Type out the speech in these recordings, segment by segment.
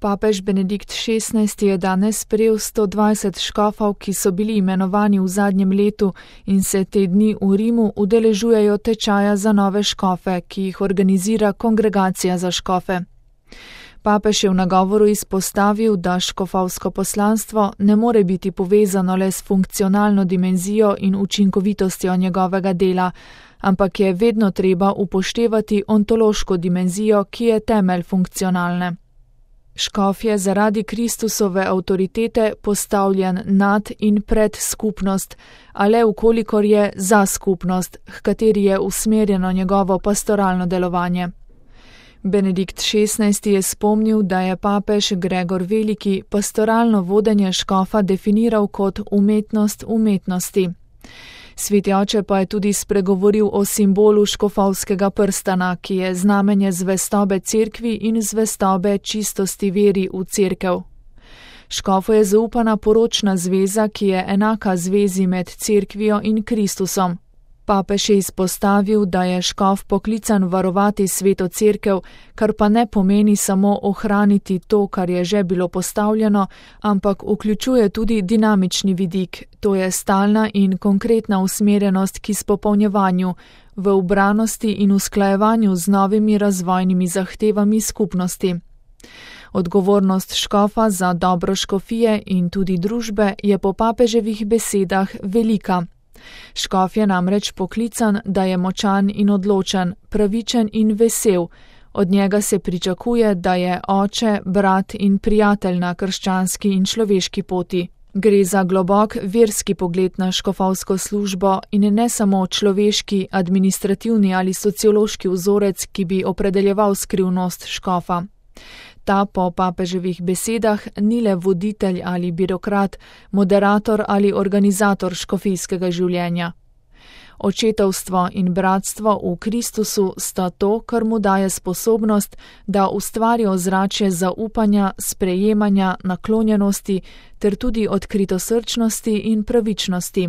Papež Benedikt XVI je danes sprejel 120 škofov, ki so bili imenovani v zadnjem letu in se te dni v Rimu udeležujejo tečaja za nove škofe, ki jih organizira Kongregacija za škofe. Papež je v nagovoru izpostavil, da škofovsko poslanstvo ne more biti povezano le s funkcionalno dimenzijo in učinkovitostjo njegovega dela, ampak je vedno treba upoštevati ontološko dimenzijo, ki je temelj funkcionalne. Škof je zaradi Kristusove avtoritete postavljen nad in pred skupnost, a le ukolikor je za skupnost, h kateri je usmerjeno njegovo pastoralno delovanje. Benedikt XVI je spomnil, da je papež Gregor Veliki pastoralno vodenje škofa definiral kot umetnost umetnosti. Sveti oče pa je tudi spregovoril o simbolu škofovskega prstana, ki je znamenje zvestobe cerkvi in zvestobe čistosti veri v cerkev. Škofu je zaupana poročna zveza, ki je enaka zvezi med cerkvijo in Kristusom. Papež je izpostavil, da je škof poklican varovati sveto cerkev, kar pa ne pomeni samo ohraniti to, kar je že bilo postavljeno, ampak vključuje tudi dinamični vidik, to je stalna in konkretna usmerjenost k izpopolnjevanju, v ubranosti in usklajevanju z novimi razvojnimi zahtevami skupnosti. Odgovornost škofa za dobro škofije in tudi družbe je po papeževih besedah velika. Škof je namreč poklican, da je močan in odločen, pravičen in vesel. Od njega se pričakuje, da je oče, brat in prijatelj na krščanski in človeški poti. Gre za globok verski pogled na škofovsko službo in ne samo človeški, administrativni ali sociološki vzorec, ki bi opredeljeval skrivnost škofa. Ta po papeževih besedah ni le voditelj ali birokrat, moderator ali organizator škofijskega življenja. Očetovstvo in bratstvo v Kristusu sta to, kar mu daje sposobnost, da ustvari ozračje zaupanja, sprejemanja, naklonjenosti ter tudi odkritosrčnosti in pravičnosti.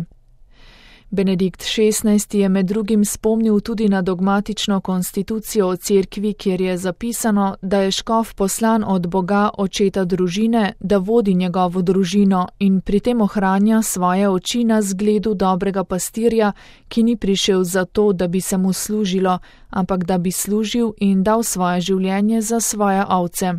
Benedikt XVI je med drugim spomnil tudi na dogmatično konstitucijo o cerkvi, kjer je zapisano, da je škof poslan od Boga očeta družine, da vodi njegovo družino in pri tem ohranja svoje oči na zgledu dobrega pastirja, ki ni prišel zato, da bi se mu služilo, ampak da bi služil in dal svoje življenje za svoje ovce.